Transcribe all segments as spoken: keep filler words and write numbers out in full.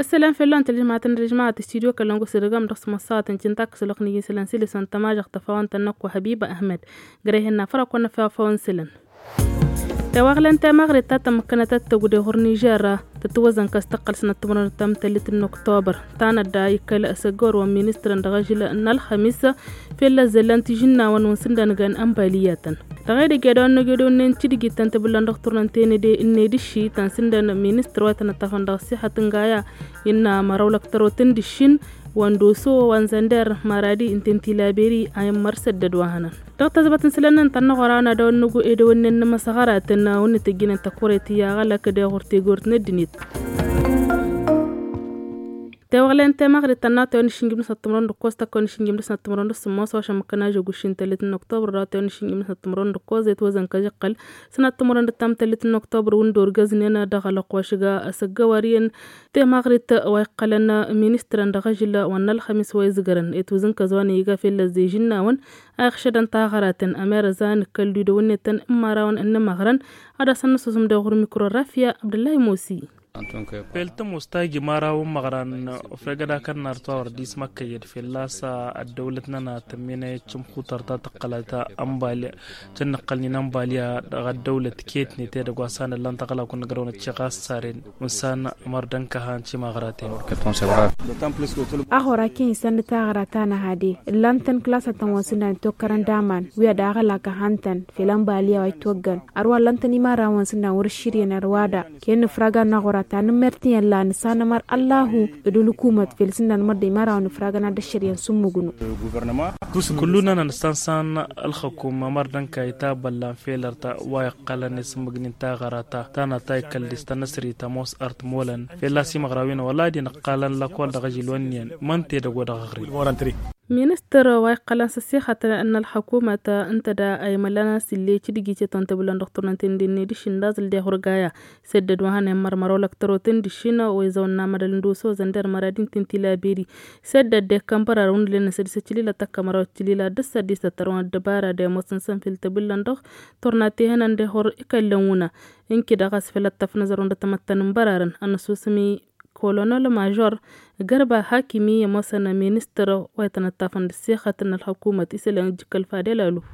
Isălan fell-a n-tălžămaten d-ălžămaten studyo kălăngu s-irgăm dăɣ-s măssaten cǝnta kăsălăɣ n-iji isălan s-ilăsăn tămažăɣ tăfawăn tănnăkku hăbiba ahmed. Gărăy hena fărăkun năfawăn isălan. Tewăɣlăn temăɣrit ta tămmăkkănăt ad-tăggu d-ehur nižer tătwăzăn kăs tăqqăl s-năttămrănăt tamtăllit n-oktobăr. Tanădda ikkăl s-ăggăwăr wa n-ministrăn dăɣ-ažǝl n-ălxămis. Fellăzzăllan tižǝnnawăn wăn sǝndăn găn ănbaliyătăn. Dăɣ-edăgg edăwăn n-egedăwăn n-tǝdǝgit tăn-tǝbǝllăn dăɣ-turnen tenăde n-edǝšši tăn-sǝndăn ministăr wa tăn-ăṭṭafăn dăɣ-ăssixăt n-gaya. Innă măraw lăktărot n-dǝššin wa n-doso wa n-zănder maradi n-tenti laberi a immăr săddăd wa hănăn. Dăɣ-tăzbăt n-sǝlăn n-tăn-năɣora n-edăwăn n-egu edăwăn n-inămăsăɣăratăn wa n-tǝjjǝnăn tăkuret i-aɣălăk d-eɣur tegort n-ăddinit. Tewăɣlen temăɣrit tănna tewăn išǝnjǝm dăɣ-s năttămrăwăn d-ǝkkoẓ tăkk tewăn išǝnjǝm dăɣ-s năttămrăwăn d-sǝmmos wa šămmăkkăn ažăgušin tăllit n-oktobăr daɣ tewăn išǝnjǝm dăɣ-s năttămrăwăn d-ǝkkoẓ etwăzăn kăžăqqăl s-năttămrăwăn d-tamtăllit n-oktobăr wǝndor găznen dăɣ-alăqq wa šǝga asăggăwăr iyyăn. Temăɣrit wa iqqălăn ministrăn dăɣ-ažǝl wa n-ălxămis wa izgărăn etwǝzǝnkăz wa n-iga fellăzzej ǝnnawăn a iɣšădăn taɣăratăn ămerăzan ǝkkăl d-idăwănnetăn n-imărawăn n-imăɣrăn. Ad-asăn nǝssusǝm d-eɣur mikro rafya abdăllahi mosi. Fel tămoos ta iji imărawăn măɣran. Ufreg ad-akănnar tawăr dismăkkăyăd fell-a-s ăddăwlăt-nănăɣ tămminăyăt cǝmxutăr ta tăqqălăt ănbali cănnăqqălnin ănbaliya dăɣ-ăddăwlăt ketnet edăgg wa s-han ǝllan taɣălakun n-agrăwăn ăcceɣ a ăssaren. Unsan ămăr dănkăhan timăɣraten. Aɣora ken isăn d-taɣra ta năhade ǝllan-tăn klasătăn wa n-sǝnnan itokărăn d-aman wi ad-aɣălak ăhan-tăn fel ănbaliya wa itwăggăn. Ărwa ǝllan-tăn imărawăn sǝnnan wăr-ǝššǝryăn ărwa da. Ken nǝfragăn n-aɣora ta nǝmmer tiyyăn la nǝsanămăr ăllahu d-ǝlkumăt fel sǝnnan măr d-imărawăn nǝfragăn ad-dd-ăššăryăn s-ǝmmǝgnu. Kullu-nănăn s-tansan ălxăkum ămăr dănka itabăllan felăr ta wa iqqălăn isǝmmǝgnin taɣăra ta tanăt ta ikăl distăn ăsri tămoos ărt molăn. Fel a-s imăɣrawin wăla ad-inǝqqalăn lăkol dăɣ-ažil wa ǝnniyăn mănt edăgg wa dăɣ-aɣrǝm. Ministăr wa iqqălăn s-ăssixăt n-ălxăkumăt ǝnta da a imăllan a-s ill'-e cǝdǝjicetăn tǝbǝlăn dăɣ-turnen tendenne d-išǝndazǝl d-ehurgaya. Săddăd wa hănen mărmăr olăk tărotăn d-išǝnna wa izăwăn n-amădăl n-doso zănder măradin tinti laberi. Săddăd d-ekkăn bărarăn wǝnnǝlen n-sădisăt cǝlila tăkkămărawăt cǝlila d-sădisăt tărwăn ăddăbara d-emosăn săn fil tǝbǝllăn dăɣ-turna tehănăn d-ehor ikăllăn wǝna. Ǝnki dăɣ-a-s făl ăttăfnăzăr wăndătămăttăn n-bărarăn ănnăsusăm-i kolonel mažor gărba hakimi i-ămoosăn ministăr wa itănăttafăn d-ăssixăt n-ălxăkumăt isălan ǝjjǝkăl fadel ăluf.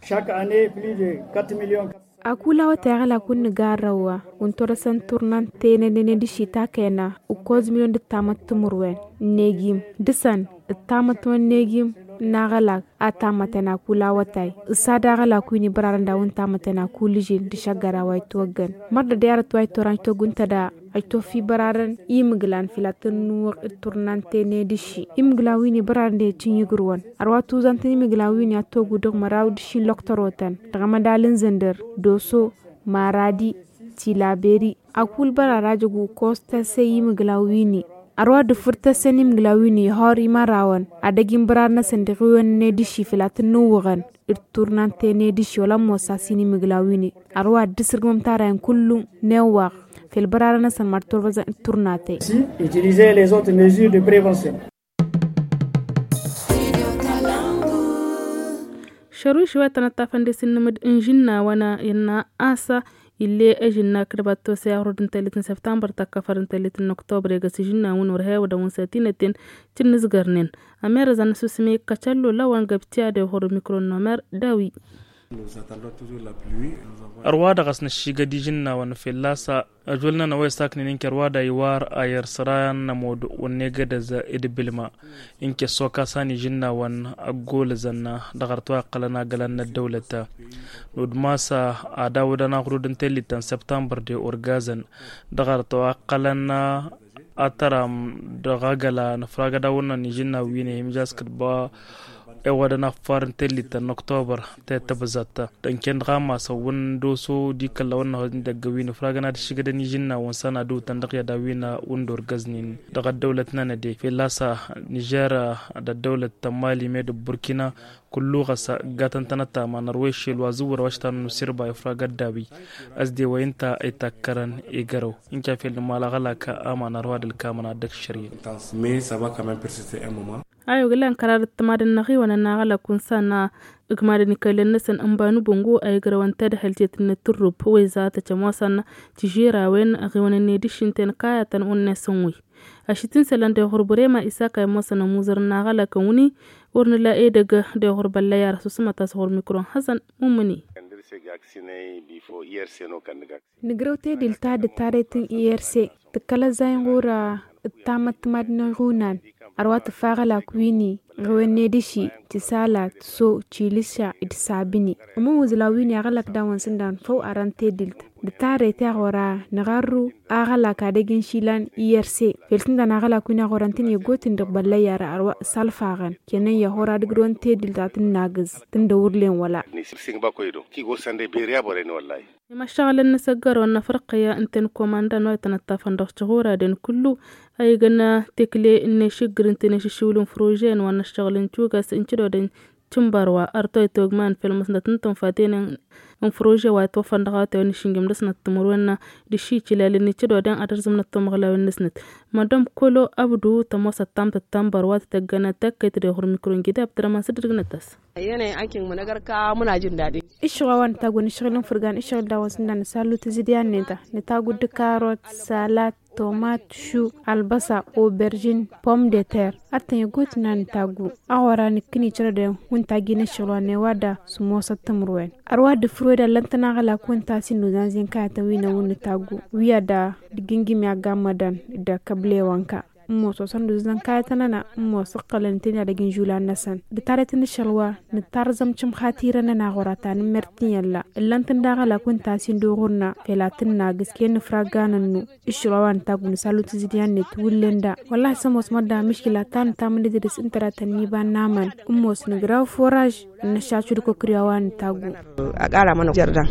Šak ane pli de quatre million. Akul awătay aɣălak wǝnnǝga arrăwwa wǝntorăsăn turnan tenănen d-išitakena ǝkkoẓ milyon d-ǝttamăt timǝrwen n-egim dăɣ-săn ǝttamăt wa n-egim n-aɣălak a tamătăn akul awătay. Ǝssa d-aɣălak wi n-ibărarăn d-a-wen tamătăn akul ǝžil d-išăggăra wa itwăggăn mărdăd i-arăt wa itwăran itwăgg wǝnta da. Ajtof-i bărarăn imǝglan fila tǝnnuwăɣ d-turnan tene d-ǝšši imǝglan wi n-ibărarăn d-ecǝn igǝrwăn. Ărwa tuzantăn imǝglan wi n-i ad-togu dăɣ-măraw d-ǝšši n-lăktărotăn dăɣ-amădal n-zǝndăr doso maradi tilaberi. Akul bărarajăgu kos tăse imǝglan wi n-i ărwa dăfǝr tăse n-imǝglan wi n-i hor imărawăn ad-ăj n-bărar-năsăn dăɣ-iwăn-net d-ǝšši fila tǝnnuwăɣăn d-turnan tene d-ǝšši wăla ămoos a-s inimǝglan wi n-i. Ărwa dd-sǝrgǝmăm tarayăn kullu n-ewwaɣ fel bărarăn-năsăn mărturbăzăn d-turnate. Utilizer les autres mesures de prévention. Šăruš wa tănăttafăn d-isǝnnǝmǝd n-žǝnnawăn innă a-s ill'-e ažǝnna kǝrbat tose aɣrud n-tellit n-săbtambăr tăkkăfăr n-tellit n-oktobăr egăs žǝnnawăn wăr hewădăn wǝnsatinăten. Tǝnnǝzgărnen ămerăzăn n-asusǝm ikkăt ăllolăwăn găbtǝya d-ehor mikro n-omer dawi. Ărwa dăɣ-s năššigăd ižǝnnawăn fălla-s ăžwăl-nănăɣ wa isaknen ǝnke ărwa da iwar ayăr săra n-ămood wăr negădăz idbǝlma. Ǝnke ăssokasăn ižǝnnawăn ăggolăzăn dăɣ-arăt wa iqqălăn agălan n-ăddăwlăt. Nudmas ad-awǝdăn aɣrud n-tellit ta n-săbtambăr de orgazăn dăɣ-arăt wa iqqălăn atăram dăɣ-agăla nǝfragăd awǝnnăn ižǝnnaw wi n-ehimžas kǝtba. Ewădăn affar n-tellit ta n-oktobăr tetăbzăt dănken dăɣ-amasăn wǝndoso d-ikălla wănnăhăz n-idăgg wi n-ifragăn ad-ǝššǝgădăn ižǝnnawăn săn ad-ǝwǝtăn dăɣ-i ad-awǝyna wǝndor găznin dăɣ-ăddăwlăt n-anăde fălla-s nižer d-ăddăwlăt ta n-mali med d-burkina. Kullu ɣas ǝggatăn-tănăt aman ărwa iššel wa zǝwwăr wa štanăn usirba ifragăd dawi. Ăsdewăy ǝnta itakkărăn igărăw ǝnca fel n-imalaɣălak aman ărwa d-ǝlkamăn ad-dd-ăkššăr-in. Mais ça va quand même persister un moment. A yoglan kărar d-timadăn n-aɣiwăn n-aɣălak unsan ǝgmadăn ikălăn-năsăn n-banubungu a igrăwăn tadhălt i-tǝnnǝt tǝrrub weza tăcămoosăn tižirawen aɣiwăn-net d-išǝnten kayătăn unnesăn wi. Ašitǝn sălăn d-eɣur bărema isaka i-mosăn ămuzăr n-aɣălak n-wǝni wăr nǝla edăgg d-eɣur băllăyar s-usǝmăt a-s ɣur-mikro n-hăzăn mumǝni. Nǝgrăw tedil ta d-tarăyt n-irse tǝkkăl ăzzay n-ɣur-dd tamăttămad n-iɣunan. Ărwa tǝffa aɣălak wini ɣiwănne d-iši tisala tiso tilǝša d-sabǝni. Ămăwǝzla wini aɣălak dawăn sǝndan făw arăn tedil. D-tarăyt i-ɣora nǝɣarru aɣălak ad-ăgg n-išilan irse fel tǝndan aɣălak wini a ɣorăn tăn-igot n-dăɣ băllăyar ărwa s-alfaɣăn. Kenăn i-ăhora d-ǝgrǝwăn tedil ta tǝnnagǝz tǝndăwǝrlen wăla. Imaššăɣǝlăn n-asăggărăwăn n-afriqya ǝnta n-komandan wa itănăṭṭafăn dăɣ-tiɣuraden kullu a igăn tekle n-ešiggǝr ǝnta n-ešiššiwǝl n-frože n-wa n-ăššăɣǝl n-tugas n-tidoden tǝnbărwa ărtoy togman fel măsnăt n-tǝnfaten n-frože wa itwăffăn dăɣ-awătay wa n-išǝnjǝm dăr-snăt timǝrwen d-išicilalăn n-tidoden ad-ărzǝmnăt timǝɣlawen-năsnăt. Madam kolo abdu tămoosăt tamtăt tǝnbărwa tǝtăggănăt tăkkăyt d-eɣur mikro n-gida abdărăman s-dd-ǝgnăt-as. Iššăɣ wa wa nǝtaggu n-ašăɣǝl n-fǝrgan ašăɣǝl dawăn s-ǝndan nǝsallu tǝzǝdyan-net nǝtaggu d-karot salat tomat šu albăsa oberžin pom de ter. Ad-tăn igot n-ad-nǝtaggu aɣora nǝkkǝn icărăden wǝnta gin ašăɣǝl wa n-ewada s-ămoosăt timǝrwen. Ărwa dd-fǝrwed allăn-tăn aɣălak wǝnta a-s innuzan zin kayătăn wi n-ewǝn nǝtaggu wi ad-a dd-gǝngǝm i-aggammădăn d-akăblewănka. Ǝmmos wa săn d-uzǝzăn kayătăn-nănăɣ ǝmmos ǝqqălăn ǝntăneḍ ad-ăgg n-žulan-năsăn d-tarăyt n-ašăl wa nǝttarẓăm cǝmxatirăn-nănăɣ ɣur-atan n-mertin i-ălla ǝllăn-tăn daɣ ălak wǝnta a-s indu ɣur-năɣ fel ad-tǝnnagǝs ken-nǝfragga nănnu. Ašăl wa wa nǝtaggu nǝsallu tǝzǝdyan-net wǝllen da wăllah s-ămoos mădda mǝškǝla ta nǝtamǝn d-idrǝs ǝntăratăn n-iba n-amăn. Ǝmmos nǝgraw foraž ănnăššaču d-kăkri a-wa nǝtaggu. Ăqara mănăɣ jărdăn.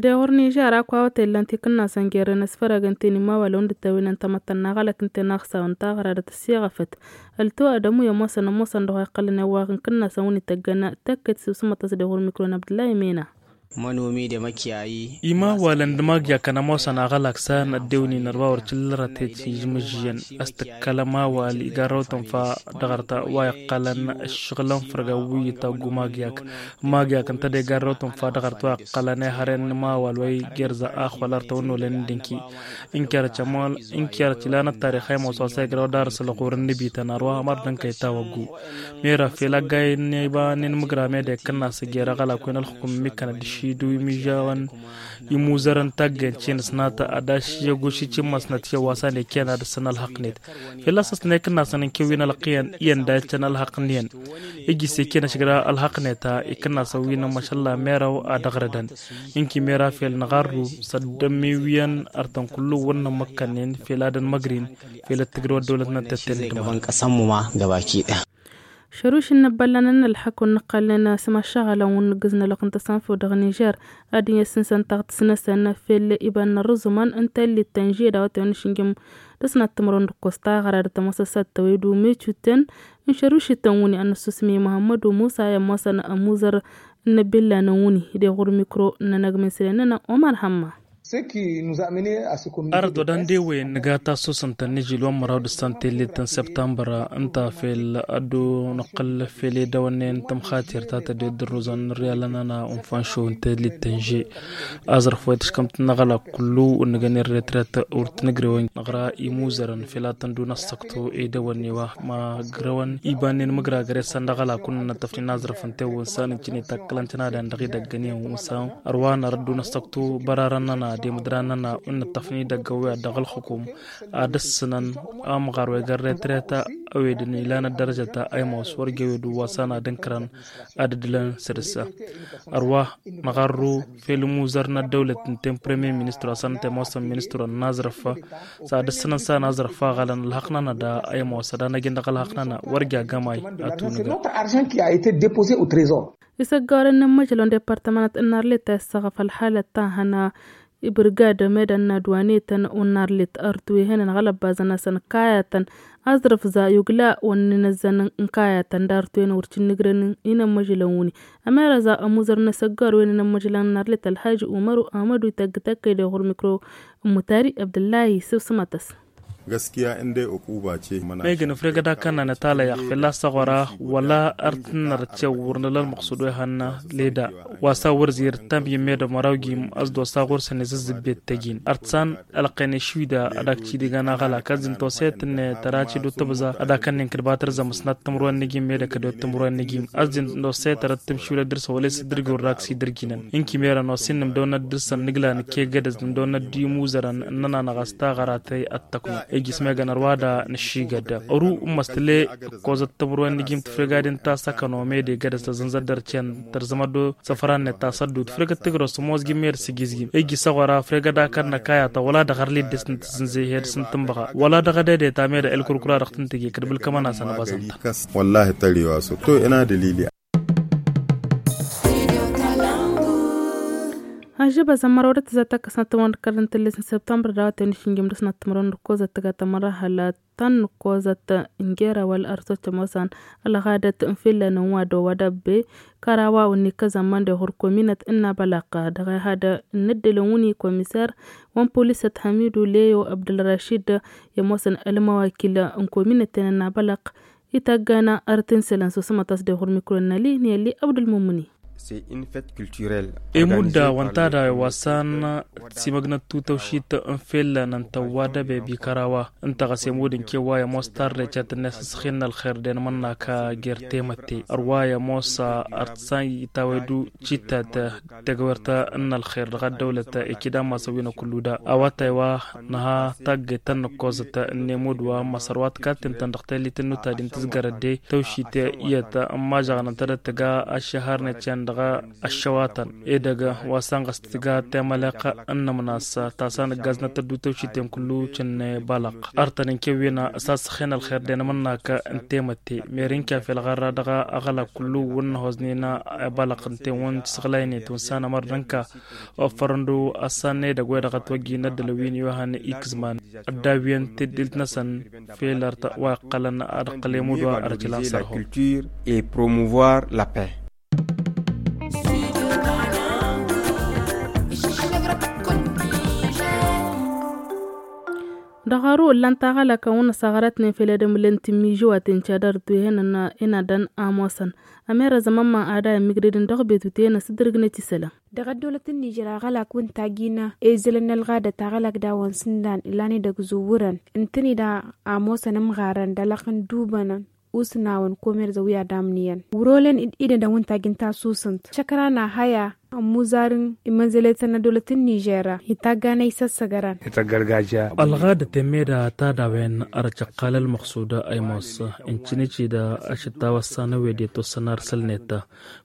Dăɣ-wăr nižer a-wa wătay ǝllan-t ikǝnnasăn gerrăn ăsfărăgăn-ten imawalăn dd-tăwinăn tamăttăn n-aɣălăk ǝnta-en aɣsawăn taɣradăt ăssiɣăfăt. Ălto adămu i-ămoosăn ămoosăn dăɣ-wa iqqălăn i-ăwwaɣ n-ikǝnnasăn wǝnni tăggănna tăkkăyt s-usǝmmăt a-s dăɣ-wăr mikro n-abdǝllahi mena. Mănomi d-emăkyayi. Imawalăn d-imagyakăn ămoosăn aɣălak s-a n-ăddewnin ărwa wăr cǝllărătet i-žmǝžžǝyăn. A-s tǝkkăl ămawal igarrăw tǝnfa dăɣ-arta wa iqqălăn ǝššăɣǝlăn fărga wi itaggu magyak. Magyak ǝnta d-igarrăw tǝnfa dăɣ-arta wa iqqălăn ihăren n-ămawal wa igerza axwăl artăwăn n-olăn n-dǝnki. Ǝnkerăt ilan ăttarix a imoos wa s-a igrăw d-arǝs ălɣur n-inǝbităn ărwa mărdăn kăy-tawăggu. Mera fel aggayen n-iba n-inmǝgra meda ikǝnnas jer-aɣălak wi n-ălxǝkum ǝmmǝkkănăt d-ašidǝw imižawăn imuzărăn taggen cinǝsnat ad-ašyăguš icǝmmăsnăt i-ăwwasan ikken ad-ǝssǝn ălxăqnet. Fel a-s ăsnăy ikǝnnasăn n-kewwin ălqiyăn iyyăn da iccăn ălxăqnen. Ijjǝs ikken ašǝgra ălxăqnet a ikǝnnasăn wi n-ămmašălla merăw ad-ăɣrǝdăn. Inki mera fel nǝɣarru s-ăddămmiwiyăn artăn kullu wăr nǝmmǝkkănnen fel ad-ănmăgrin. Fel ăttǝgrǝw ăddăwlăt n-ăttătten d-măra. Šăruš n-inăbbăllan n-ălxăk wăr nǝqqălnen s-imăššăɣălăn wăr nǝggǝz n-ălwăqq n-tăsănfew dăɣ-nižer. Ad-dd-in-ăssǝnsăn taɣtǝs-năsăn fel iba n-inărrǝẓumăn n-tallit tănže d-a-wa tăwăn išǝnjǝm dăr-s n-ad-tǝmrăwăn d-ǝkkoẓ taɣăra d-tămoosăt s-ad-tăwăy d-umecu tăn n-šărušităn wǝnni ad-nǝssusǝm i-muhămmădu musa i-ămoosăn ămuzăr n-inăbbăllan n-wǝnni. D-eɣur mikro n-anăgg min sălen-nănăɣ omar hămma. Arăt wa d-ande-wen nǝga tassusăn-tăn n-ižil wa n-măraw d-ǝssan tellit n-săbtambăr ǝnta fel ad-dd-nǝqqǝl fel edăwănnen tămxatir ta tăded d-ǝrruzăn n-ărialăn-nănăɣ unfanšo n-tellit tănže. Aẓrǝf wa itǝškăm-t n-aɣălak kullu wăr nǝgăn irretret wăr t-nǝgrewăn năɣra imuzărăn fel ad-tăn-dd-unăssăktu edăwănne wa ma ǝgrăwăn ibannen mǝgragăr i-săn d-aɣălak wăr nǝnnăṭṭăfnen aẓrǝf ǝnta i-wănsan ǝncǝn itakkălăn tănadăn dăɣ-idăggăn i-wănsan. Ărwa nărădd unăssăktu bărarăn-nănăɣ d-emǝdran-nănăɣ wăr nǝṭṭăfnen idăgg-awǝy ad-dăɣ-ălxukum ad-ǝssǝnăn amɣar wa igărre tret a ăwedăn ilan ăddărăjăt a ăymoos wăr jewed uwăsan ad-ǝnkărăn ad-ǝddǝlăn săr-s. Ărwa năɣarru fel imuzăr n-ăddăwlăt ǝnta n-premier ministru asăn ǝnta i-ămoosăn ministru n-aẓrǝf s-ad-ǝssǝnăn s-a n-aẓrǝf aɣălăn ălxăqq-nănăɣ da ăymoos ad-anăjăn dăɣ-ălxăqq-nănăɣ wăr ja gămay ad-tunǝgăr. Isăggawălăn n-ămmăjălăn departămănăt n-arlet a issăɣăf ălxalăt ta hăna ibǝrgadăm edăn n-adwanetăn wăr n-arlet artwehăn n-aɣlăbbazăn-asăn kayătăn aẓrǝf za yugla wăr n-inăzzăn n-kayătăn d-artwen wăr t-innǝgrăn. Inămmăjălăn wǝnni ămerăza ămuzăr n-asăggawăl wen inămmăjălăn n-arlet ălhaji umăru ahmădu ităgg tăkkăy d-eɣur mikro n-mutari abdǝllahi sǝbsǝmăt-ăs. Găskiya ǝndăy ăquba ce. Mănăɣ. Megăn ăfreg ad-akănnanăt alăyyaɣ fălla-s aɣora wăla ărtǝnnărăt cewwăr nǝla ălmăqsud wa ihănna leda wa s-awăr zirǝt tamyǝm medăm măraw gim ăzdos aɣur săn izǝzzǝbbet tăjin ărtǝsan. Ălqăyne šwida ad-ak cidǝgan aɣălak ad-zǝnto setǝnne tăraci d-otăbza ad-akănnen kǝdbatăr zămăsnat tǝmrăwen n-igim medă kădewăt tǝmrăwen n-igim ad-zǝnto setărăt tǝmšwilăt dăr-săn wăla isǝddǝrgi wăr rak s-idǝrjinăn. Ǝnki merăn osin nǝmdăwnăt dăr-săn nǝgla nǝkke gădăz nǝmdăwnăt d-imuzărăn ǝnnănanăɣ a-s taɣăratăy ăttăknu ijjǝs megăn ărwa da nǝššigăd. Ăru n-măstǝle ǝkkozăt tǝmrăwen n-igim tǝfreg ad-inta săkăno mede gădăz tăzǝnzăt dăr-ten tărzămăt d-săfra-net ta săddut tǝfreg d-tǝgrăst ămoos gimmed s-igizgim ijjǝs aɣora ǝfreg ad-akănnăk ayatăn wăla dăɣ-arlid dăɣ-s n-tǝzzǝnzăy hed s-n-tǝnbăɣa wăla dăɣ-edăde ta mede ălkurkura dăɣ-tăn-tǝje kăd-bǝlkămăn-asăn ăbăẓăn-tăn. Wăllahi tăriwa s-to ina dălili. Ažăbăzăn măraw d-tǝzzat akăsnăt tămăwăn d-kărdăn tǝllet n-săbtămbăr d-awătăn išǝnjăm d-asnăt tămăwăn d-kăwăzăt tǝga tămăra hălat tăn-nǝkkozăt n-jera wăla ărsot cămosan ălɣadăt n-fillăn n-wa d-owa d-abbe kărawa wǝnni kăzămman d-ehur kominăt n-nabălăq dăɣ-ehadăn n-ǝddǝlăn wǝnni komiser wa n-polisăt hamidu leyo abdălrašid i-ămoosăn ălmăwakil n-kominăten n-nabălăq ităggăna ărtǝnsǝlăn s-osămăt a-s d-ehur mikro n-năli n-elli abdălmumǝni. Emudda wăn tadawăn wa s-an timăgnăt tutăwšit n-fellăn n-tăwwa d-abebi kărawa ǝnta ɣas emud n-kewwa i-ămoos tarre cetănne s-asăxin n-ălxer d-enmănna ka jer-temătte ărwa i-ămoos ărtǝsan itawăydu cittat tegăwert n-ălxer dăɣ-ăddăwlăt ikid amasăn wi n-akǝllu da awătay wa nǝha tagget ta n-nǝkkozăt n-emud wa n-măsăr wa tǝkatten-tăn dăɣ-tellit n-nutadi n-tǝzgărăt de tăwšit iyyăt n-mažăɣăn ǝntădăt tǝga aššăhărnet cen dăɣ-ăššăwatăn edăgg wa s-anɣăs tǝga temăleq n-nǝmnas ta s-anǝggaznăt tăddu tăwšiten kǝllu cǝnne balăq ărtăn n-kewwena s-asăxen ălxer d-enămănnak n-temătte mer n-kafel ɣărra dăɣ-aɣălak kǝllu wǝnnăhoẓnen balăq n-ten wăn tisăɣlaynet wăn s-anămăr d-ǝnka ofărăn d-assan n-edăgg wa dăɣ-ătwăjjin ăddălăn wi n-iwăhăn ikǝzman ăddawiyăn teddilt-năsăn felărt wa iqqălăn ad-ǝqqăl emud wa ărcǝlan sărhum. Et promouvoir la paix. Dăɣ-aru ǝllan taɣălakăn wăn-ăsaɣărătnen fel edămǝlăn tǝmmižuwaten cadar d-tuhen ănadăn amosăn ămerăzăm ămma ad-a immigrădăn dăɣ-betute n-asǝddărgnet isălan. Dăɣ-ăddăwlăt n-nižer aɣălak wǝnta gina ezălăn n-ălɣadăt aɣălak dawăn sǝndan ilan edăgg zǝwwǝrăn ǝntăned a ămoosăn ămɣarăn d-alăɣ n-dubănăn usnawăn komerza wi ad-amniyăn wăr-olen idădăn wǝnta gin tasusǝnt šăkrana haya ămmuzarăn imănzăletăn n-ăddăwlăt n-nižer itagganăy s-ăssăgărăn. Ălɣadăt emmeda tadawen ărăt căqqal ălmăqsud ăymos ǝncǝnicida ašǝttaw ăssan ăwed i-ătwăssăn arsălnet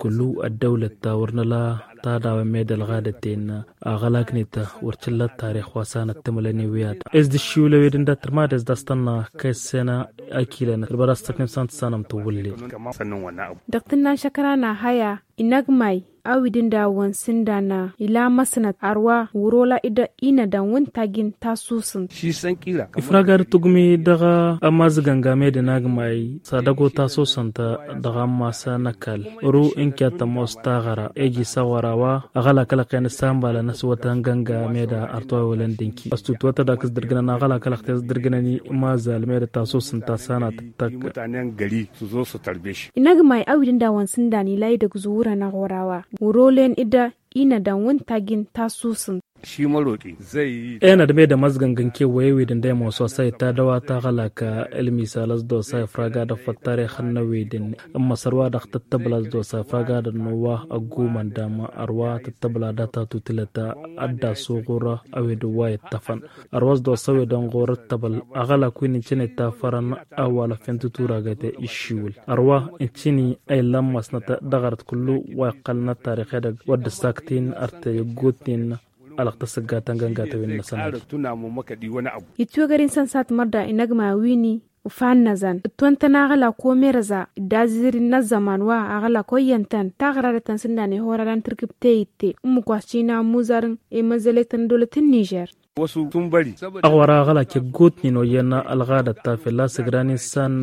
kǝllu ăddăwlăt ta wăr nǝla tadawen medălɣadăten aɣălaknet wăr cǝlla ăttarix wa s-anăt tǝmǝlăn i-wi ad-s d-ǝššiwǝl ăwed ǝnda tǝrmadez d-a-s tănna kăy-ăssena akilăn kăl-băra s-tăknem s-an tǝssanăm tǝwwǝllen. Dăɣ-tǝnna n-šăkrana haya inăgmay a-wi d-ǝndawăn s-ǝndan ila măsnăt ărwa wăr-ola idăɣ inădăn wǝnta gin tasusǝnt. Ifrag ad-tǝgǝmi dăɣ-amazǝgăn game d-inăgmay s-ad-ăgo tasusǝnt dăɣ-ammas n-ăkall ru n-kiyat tămoos taɣăra iji s-aɣora wa aɣălak ălăqqen s-anbalăn ăswătăn gănga meda ărtăwăy wălăn dănki ăstutwăt ad-ak s-dărgǝnăn aɣălak ălăqqen s-dărgǝnăn imazal meda tasusǝnt ta s-anăt tăkk. Inăgmay a-wi d-ǝndawăn s-ǝndan ila idăgg zǝwwǝrăn aɣora wa wăr-olen idăɣ inădăn wǝnta gin tasusǝnt. Enăd medăm ăzgăngăn kewăy ewedăn d-ăymoos wa s-a itadăw a taɣălak ălmisal ăsdos a ifrag ad-ăffăt tarixăn n-ewedăn n-măsăr wa dăɣ-tǝttăbla ăsdos a ifrag ad-ănnuwa ăggumăn dam ărwa tǝttăbla data tutǝlăt ad-dd-asuɣur ewedăn wa ittăfăn ărwa ăsdos ewedăn ɣur-ǝttăbăl aɣălak wi n-incǝnet tafărăn awal ăffen tuturagăt iššiwǝl ărwa incǝni a illan masnăt dăɣ-arăt kǝllu wa iqqălăn ăttarix edăgg wăr dd-ăssaktin ărtăy ăggootnen. Alăɣ tăsăggatăn găngatăwen-năsăn. Itwegăr insăn s-ad-mărda inăgma wini ufannăzăn ǝtwăn-tăn aɣălak omerăza d-azǝzǝd n-ăzzăman wa aɣălak oyyăn-tăn taɣradăt-tăn s-ǝndan ihorarăn tǝrkǝb teyǝtte ǝmmǝk wa s-cina ămmuzarăn i-măzzălet n-ăddăwlăt n-nižer. Ăɣwăr aɣălak iggutnen oyyăn ălɣadăt ta fălla-s ǝgran insan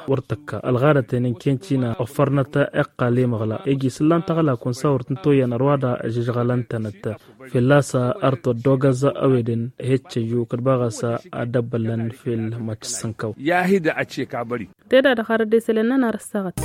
wăr tǝkka ălɣadăt-en ǝnken cină ăffărnăt iqqal imăɣla iji s-ǝllan taɣăla kunsa wăr tǝntoyyăn ărwa da žăžɣălăn-tănăt. Fălla-s ărtăwăt d-ogăz ăwedăn heccăyyu kăd-baɣ-s ad-dd-ăbbăllăn făll-măcc s-ǝnkăw. Tedadăɣ har dd-esălăn nănar ăssaɣăt.